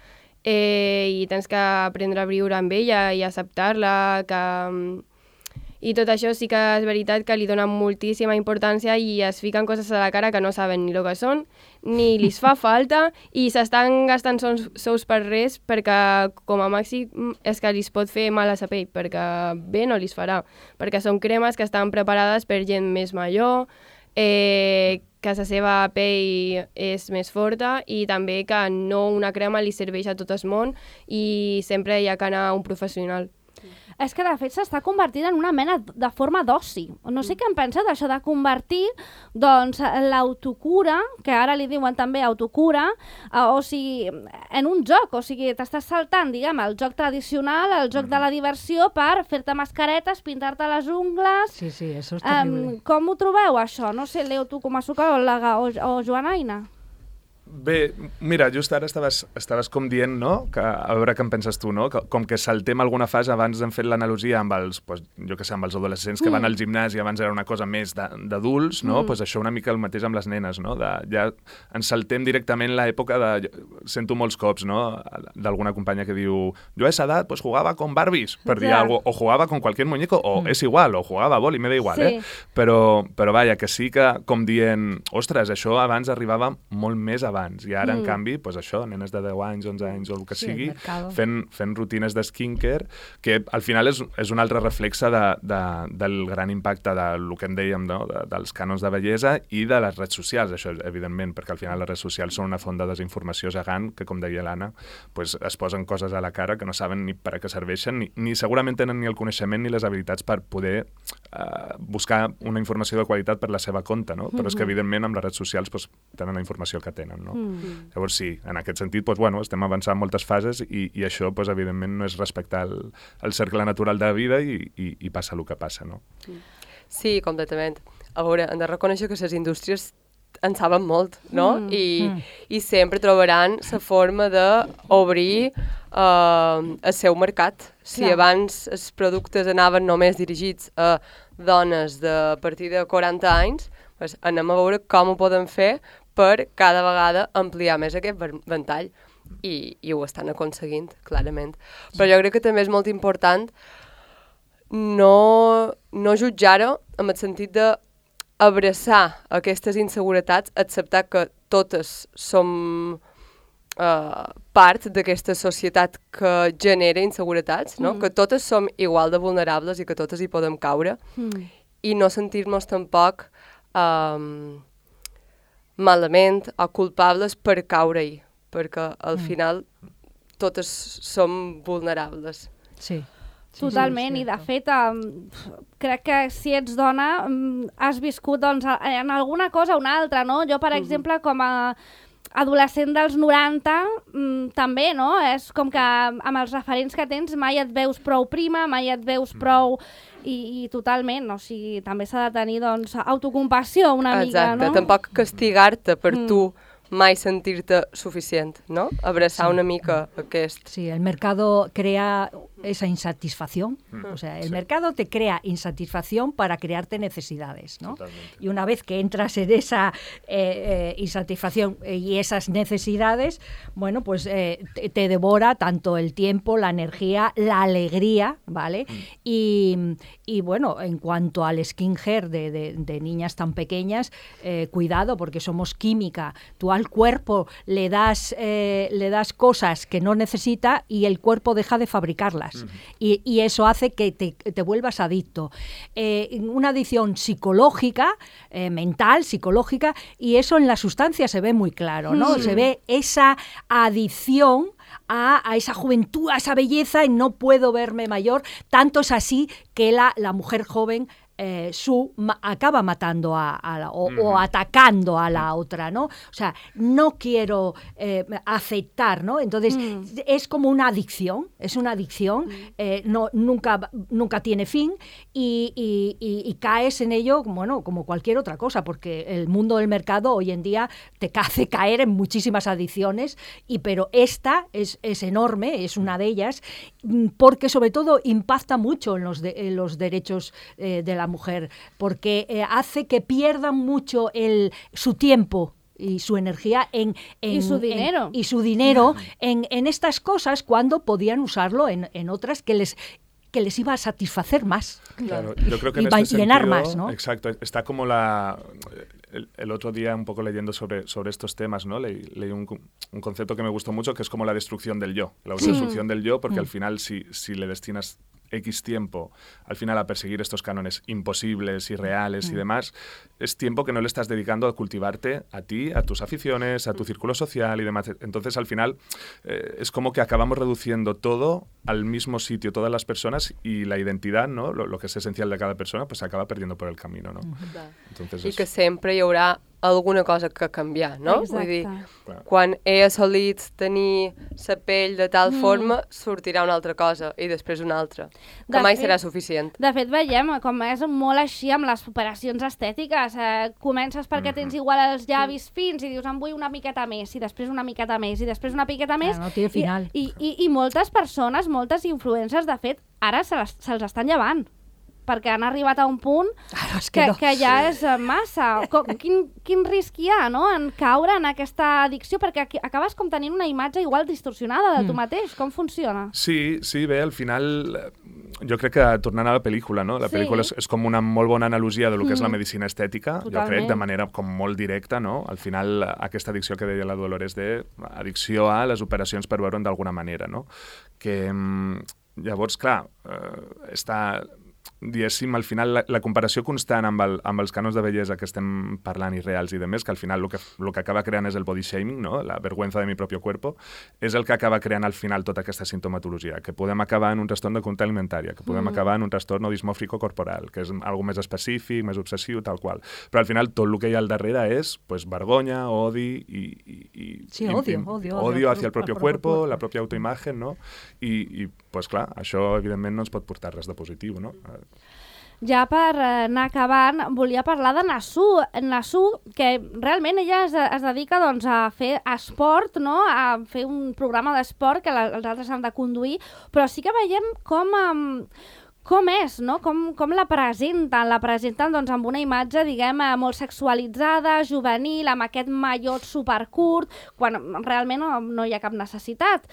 i tens que aprendre a viure amb ella i acceptar-la, i tot això sí que és veritat que li donen moltíssima importància i es fiquen coses a la cara que no saben ni el que són, ni li fa falta, i s'estan gastant sous per res perquè com a màxim és que li pot fer mal a la pell, perquè bé no li farà, perquè són cremes que estan preparades per gent més major, que la seva pell és més forta i també que no una crema li serveix a tot el món i sempre hi ha que anar a un professional. És que, de fet, s'està convertint en una mena de forma d'oci. No sé què en pensa d'això de convertir doncs, l'autocura, que ara li diuen també autocura, o sigui, en un joc. O sigui, t'estàs saltant, diguem, el joc tradicional, el joc de la diversió, per fer-te mascaretes, pintar-te les ungles... Sí, sí, això és terrible. Com ho trobeu, això? No sé, Leo, tu com a psicòloga o Joanaina? Bé, mira, just ara estaves com dient, no?, que, a veure què en penses tu, no?, que, com que saltem alguna fase, abans hem fet l'analogia amb els, pues, jo què sé, amb els adolescents que van al gimnàs i abans era una cosa més d'adults, no?, pues això una mica el mateix amb les nenes, no?, ja ens saltem directament l'època de... Sento molts cops, no?, d'alguna companya que diu jo a esa edat pues jugava con Barbies, per dir alguna cosa, o jugava con cualquier muñeco, o és igual, o jugava a boli, me da igual, sí. Però vaja, que sí que, com dient, ostres, això abans arribava molt més abans, i ara, en canvi, pues això, nenes de 10 anys, 11 anys, o el que sigui, fent rutines de skincare, que al final és un altre reflexe del gran impacte del que en dèiem, no?, dels cànons de bellesa i de les redes socials, això, evidentment, perquè al final les redes socials són una font de desinformació gegant, que, com deia l'Anna, pues, es posen coses a la cara que no saben ni per a què serveixen, ni segurament tenen ni el coneixement ni les habilitats per poder buscar una informació de qualitat per la seva compte, no? Però és que, evidentment, amb les redes socials pues, tenen la informació que tenen, no? Llavors sí, en aquest sentit pues, bueno, estem avançant moltes fases i això pues, evidentment no és respectar el cercle natural de la vida i passa el que passa, no? Sí, completament. A veure, hem de reconèixer que les indústries en saben molt, no? I sempre trobaran la forma d'obrir el seu mercat. Si abans els productes anaven només dirigits a dones de a partir de 40 anys, pues anem a veure com ho podem fer per cada vegada ampliar més aquest ventall i ho estan aconseguint, clarament. Però jo crec que també és molt important no jutjar-ho en el sentit d'abraçar aquestes inseguretats, acceptar que totes som part d'aquesta societat que genera inseguretats, no? Que totes som igual de vulnerables i que totes hi podem caure i no sentir-nos tampoc malament o culpables per caure-hi, perquè al final totes som vulnerables. Sí. Totalment, i de fet crec que si ets dona has viscut doncs, en alguna cosa o una altra, no? Jo, per exemple, com a adolescent dels 90, també, no? És com que amb els referents que tens mai et veus prou prima, mai et veus prou... I totalment, o sigui, també s'ha de tenir, doncs, autocompassió una mica, no? Exacte, tampoc castigar-te per tu mai sentir-te suficient, ¿no? Abrazar una mica aquest... Sí, el mercado crea esa insatisfacción. O sea, el mercado te crea insatisfacción para crearte necesidades, ¿no? Totalmente. Y una vez que entras en esa insatisfacción y esas necesidades, bueno, pues te devora tanto el tiempo, la energía, la alegría, ¿vale? Y bueno, en cuanto al skincare de niñas tan pequeñas, cuidado, porque somos química. Tú al cuerpo le das cosas que no necesita y el cuerpo deja de fabricarlas. Y eso hace que te vuelvas adicto. Una adicción psicológica, mental, psicológica, y eso en la sustancia se ve muy claro, ¿no? Se ve esa adicción a esa juventud, a esa belleza, y no puedo verme mayor. Tanto es así que la mujer joven acaba matando o atacando a la otra, ¿no? O sea, no quiero aceptar, ¿no? Entonces, es como una adicción, nunca tiene fin y caes en ello, bueno, como cualquier otra cosa, porque el mundo del mercado hoy en día te hace caer en muchísimas adicciones, pero esta es enorme, es una de ellas, porque sobre todo impacta mucho en los derechos de la mujer, porque hace que pierdan mucho su tiempo y su energía y su dinero en estas cosas, cuando podían usarlo en otras que les iba a satisfacer más. Claro, yo creo que y llenar más, ¿no? Exacto, está como el otro día un poco leyendo sobre estos temas, ¿no? Leí un concepto que me gustó mucho, que es como la destrucción del yo, la autodestrucción del yo, porque al final si le destinas X tiempo al final a perseguir estos cánones imposibles, irreales y demás, es tiempo que no le estás dedicando a cultivarte a ti, a tus aficiones, a tu círculo social y demás. Entonces, al final, es como que acabamos reduciendo todo al mismo sitio, todas las personas, y la identidad, ¿no? Lo que es esencial de cada persona, pues se acaba perdiendo por el camino, ¿no? Entonces, I que sempre hi haurà alguna cosa que canviar, no? Exacte. Vull dir, quan he assolit tenir la pell de tal forma, sortirà una altra cosa i després una altra, que mai serà suficient. De fet, veiem com és molt així amb les operacions estètiques. Comences perquè tens igual els llavis fins i dius, em vull una miqueta més, i després una miqueta més, i després una miqueta més. No té final. I moltes persones, moltes influencers, de fet, ara se'ls estan llevant, perquè han arribat a un punt que ja és massa. Quin risc hi ha, no?, en caure en aquesta addicció, perquè acabes com tenint una imatge igual distorsionada de tu mateix. Com funciona? Sí, bé, al final, jo crec que, tornant a la pel·lícula, no? La pel·lícula és com una molt bona analogia de lo que és la medicina estètica, jo crec, de manera com molt directa, no? Al final, aquesta addicció que deia la Dolores addicció a les operacions per veure'n d'alguna manera, no? Que, llavors, clar, està... diguéssim, al final la comparació constant amb els cànons de bellesa que estem parlant irreals i de més, que al final el que acaba creant és el body shaming, no? La vergüenza de mi propio cuerpo, és el que acaba creant al final tota aquesta sintomatologia, que podem acabar en un trastorn de conducta alimentària, que podem acabar en un trastorn dismòrfico corporal, que és algo més específic, més obsessiu, tal qual. Però al final tot el que hi ha al darrere és pues, vergonya, odi odio hacia el propio cuerpo, la propia autoimagen, no? I pues clar, això evidentment no ens pot portar res de positiu, no? Ja per anar acabant, volia parlar de Nasu. Nasu, que realment ella es dedica doncs, a fer esport, no? A fer un programa d'esport que els altres han de conduir, però sí que veiem com és, no? Com la presenten? La presenten doncs, amb una imatge, diguem, molt sexualitzada, juvenil, amb aquest mallot supercurt, quan realment no hi ha cap necessitat.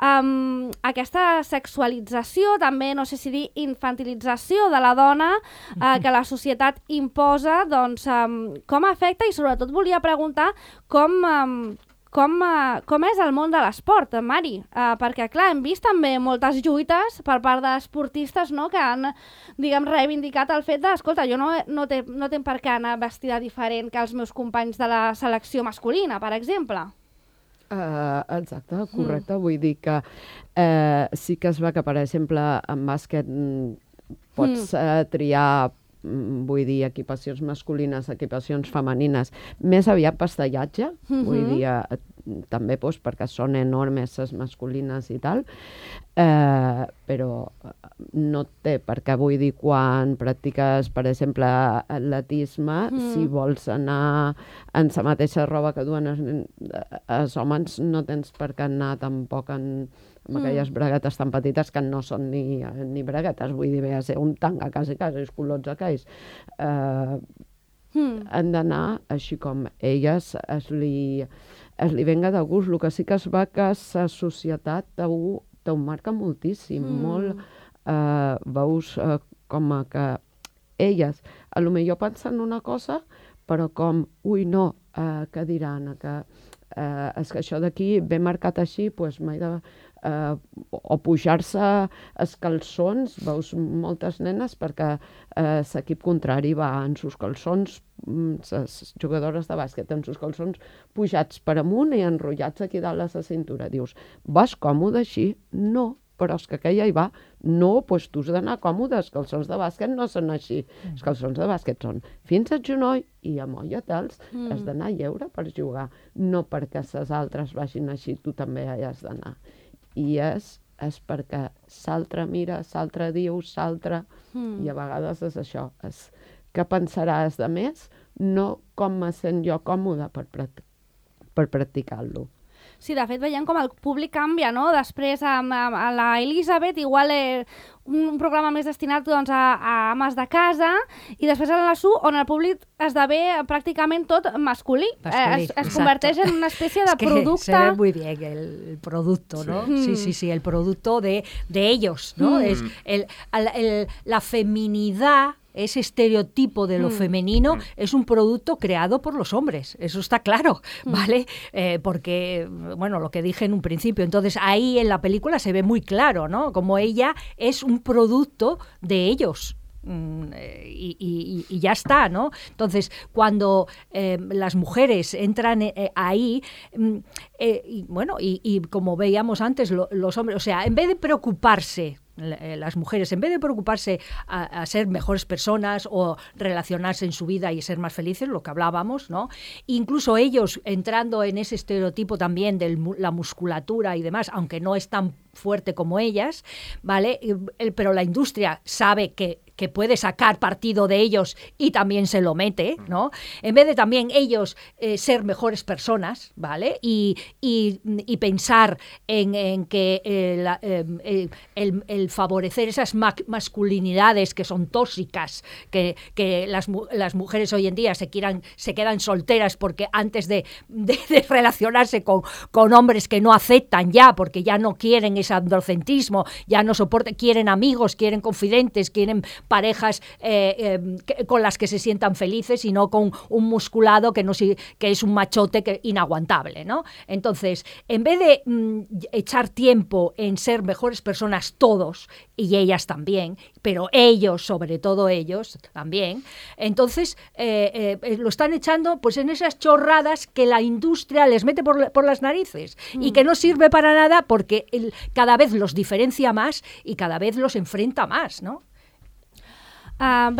Aquesta sexualització, també, no sé si dir infantilització de la dona que la societat imposa, doncs, com afecta, i sobretot volia preguntar com és el món de l'esport, Mari? Perquè, clar, hem vist també moltes lluites per part d'esportistes, no?, que han, diguem, reivindicat el fet de, escolta, jo no tinc per què anar vestida diferent que els meus companys de la selecció masculina, per exemple. Exacte, correcte. Vull dir que sí que es va que, per exemple, en bàsquet pots triar, vull dir, equipacions masculines, equipacions femenines, més aviat pastellatge, vull dir, també doncs, perquè són enormes les masculines i tal, però no té, perquè vull dir, quan practiques, per exemple, atletisme, si vols anar en la mateixa roba que duen els homes, no tens per què anar tampoc amb aquelles braguetes tan petites que no són ni braguetes, vull dir, ve a ser un tanga, quasi, els culots aquells. Han d'anar així com elles es li venga de gust. El que sí que es va que la societat t'ho marca moltíssim, molt. Veus com que elles a lo millor pensen una cosa, però com, ui, no, què diran, que és que això d'aquí ve marcat així, doncs m'he de... o pujar-se els calçons, veus moltes nenes perquè l'equip contrari va en sus calçons, les jugadores de bàsquet en sus calçons pujats per amunt i enrotllats aquí dalt a la cintura. Dius, vas còmode així? No, però és que aquella hi va. No, doncs tu has d'anar còmode, els calçons de bàsquet no són així. Els calçons de bàsquet són fins al genoll i amollatels. Has d'anar lleure per jugar, no perquè les altres vagin així, tu també hi has d'anar. I és perquè l'altre mira, l'altre diu, l'altre... I a vegades és això, és què pensaràs de més, no com me sent jo còmode per practicar-lo. Sí, de fet, veiem com el públic canvia, no? Després, a la Elisabet, igual un programa més destinat doncs, a ames de casa, i després a la Nasu, on el públic esdevé pràcticament tot masculí. Es converteix en una especie de producte... Se ve muy bien el producto, ¿no? Sí, el producto de ellos, ¿no? Es la feminidad ese estereotipo de lo femenino es un producto creado por los hombres, eso está claro, ¿vale? Porque, bueno, lo que dije en un principio, entonces ahí en la película se ve muy claro, ¿no? Como ella es un producto de ellos. Y ya está, ¿no? Entonces, cuando las mujeres entran ahí, y como veíamos antes, los hombres, o sea, en vez de preocuparse, las mujeres, en vez de preocuparse a ser mejores personas o relacionarse en su vida y ser más felices, lo que hablábamos, ¿no? Incluso ellos entrando en ese estereotipo también de la musculatura y demás, aunque no es tan fuerte como ellas, ¿vale? Pero la industria sabe que puede sacar partido de ellos y también se lo mete, ¿no? En vez de también ellos ser mejores personas, ¿vale? Y pensar en que el favorecer esas masculinidades que son tóxicas, que las mujeres hoy en día se quedan solteras porque antes de relacionarse con hombres que no aceptan ya, porque ya no quieren ese androcentrismo, ya no soportan, quieren amigos, quieren confidentes, quieren parejas con las que se sientan felices y no con un musculado que es un machote inaguantable, ¿no? Entonces, en vez de echar tiempo en ser mejores personas todos, y ellas también, pero ellos, sobre todo ellos también, entonces lo están echando pues en esas chorradas que la industria les mete por las narices y que no sirve para nada porque cada vez los diferencia más y cada vez los enfrenta más, ¿no? Ja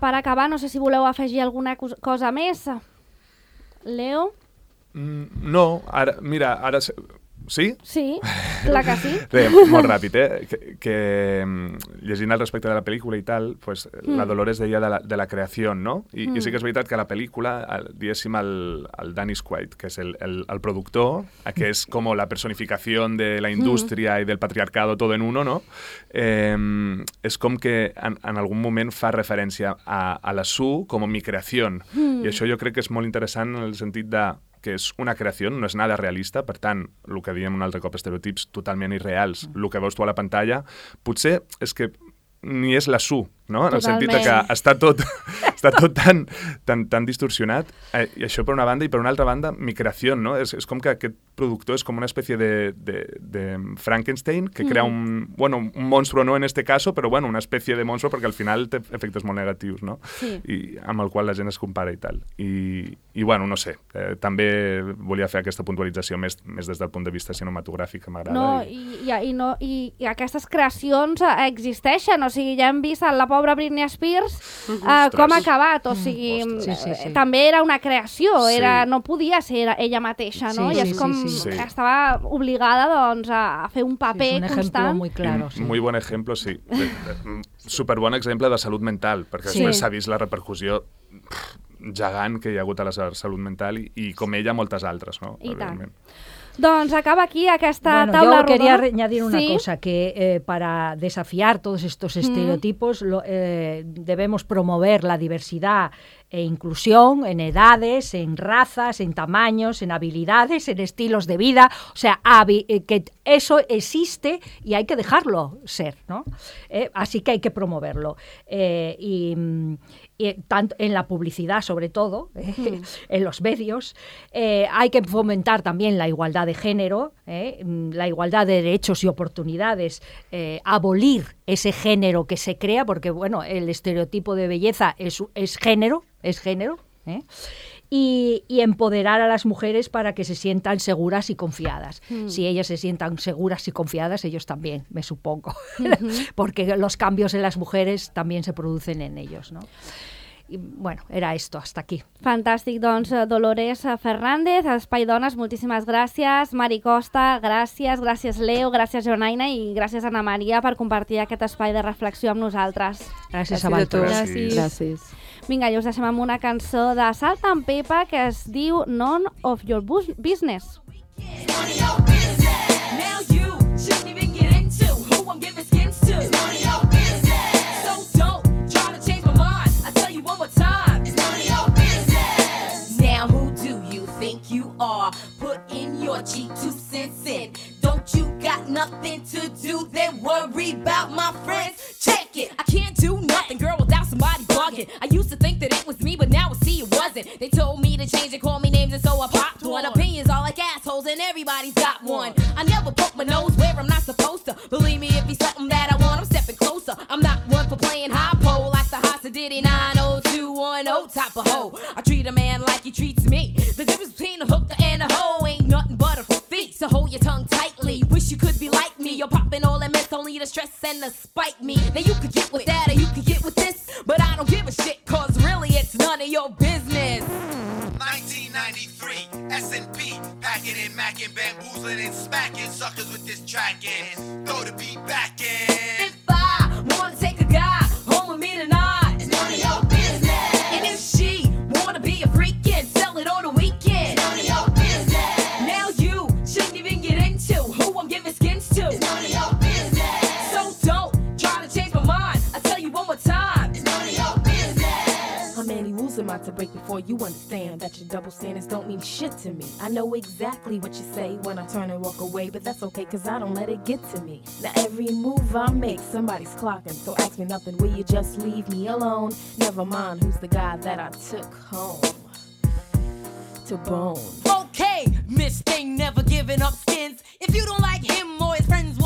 per acabar, no sé si voleu afegir alguna cosa més. Leo? No, ara, mira, ara... Sí? Sí, clar que sí. Bé, molt ràpid, que llegint al respecte de la pel·lícula i tal, pues, la Dolores deia de la creació, no? I sí que és veritat que la pel·lícula, diguéssim, el Dennis Quaid, que és el productor, que és com la personificació de la indústria i del patriarcado todo en uno, no? És com que en algun moment fa referència a la Sue com mi creació. I això jo crec que és molt interessant en el sentit de que és una creació, no és nada realista, per tant, el que diem un altre cop, estereotips totalment irreals, el que veus tu a la pantalla, potser és que ni és la Sue, no? En el sentit que està tot tan distorsionat. I això per una banda, i per una altra banda, mi creació, no? És com que aquest productor és com una espècie de Frankenstein que crea un monstruo, no en este caso, però bueno, una espècie de monstruo perquè al final té efectes molt negatius, no? Sí. I amb el qual la gent es compara i tal. I bueno, no sé, també volia fer aquesta puntualització més des del punt de vista cinematogràfic, que m'agrada. No, i aquestes creacions existeixen, o sigui, ja hem vist la pobra Britney Spears com ha acabat, o sigui, també era una creació, no podia ser ella mateixa, no? I és com estava obligada doncs a fer un paper constant. És un ejemplo muy claro. Muy buen ejemplo, sí. Superbon exemple de salut mental, perquè després s'ha vist la repercussió gegant que hi ha hagut a la salut mental i com ella moltes altres, no? I tant. Doncs acaba aquí aquesta taula rodona. Yo quería añadir una cosa, que para desafiar todos estos estereotipos debemos promover la diversidad e inclusión en edades, en razas, en tamaños, en habilidades, en estilos de vida. O sea, que eso existe y hay que dejarlo ser, ¿no? Así que hay que promoverlo. Y tanto en la publicidad, sobre todo, en los medios, hay que fomentar también la igualdad de género, la igualdad de derechos y oportunidades, abolir ese género que se crea, porque bueno, el estereotipo de belleza es género, y empoderar a las mujeres para que se sientan seguras y confiadas. Si ellas se sientan seguras y confiadas, ellos también, me supongo, porque los cambios en las mujeres también se producen en ellos, ¿no? I, bueno, era esto, hasta aquí. Fantàstic, doncs Dolores Fernández, Espai Dones, moltíssimes gràcies. Mari Costa, gràcies Leo, gràcies Jonaina i gràcies Ana Maria per compartir aquest espai de reflexió amb nosaltres. Gràcies a vosaltres. Gràcies. Vinga, i us deixem amb una cançó de Salt and Pepper que es diu None of Your Business. Put in your cheap 2 cents in. Don't you got nothing to do then worry about my friends? Check it. I can't do nothing, girl, without some everybody's got one. I never poke my nose where I'm not supposed to. Believe me, if he's something that I want, I'm stepping closer. I'm not one for playing high pole like the Hasa Diddy 90210 type of hoe. I treat a man like he treats me. The difference between a hooker and a hoe ain't nothing but a feat. So hold your tongue tightly. Wish you could be like me. You're popping all that mess, only to stress and to spite me. Now you could get with that or you could get with this, but I don't give a shit, cause really it's none of your business. 1993, S&P, packing and macking, bamboozling and smacking suckers with this track in. Throw the beat back in. If I wanna take a guy home with me tonight, it's none of your business. And if she wanna be a freak and sell it on the weekend, it's none of your business. Now you shouldn't even get into who I'm giving skins to, it's none of your business. So don't try to change my mind, I tell you one more time, it's none of your business. How many rules am I to break before you understand that your double standards don't mean shit to me? I know exactly what you say when I turn and walk away, but that's okay cause I don't let it get to me. Now every move I make, somebody's clocking, so ask me nothing, will you just leave me alone? Never mind who's the guy that I took home to bone. Okay, Miss Thing never giving up skins. If you don't like him or his friends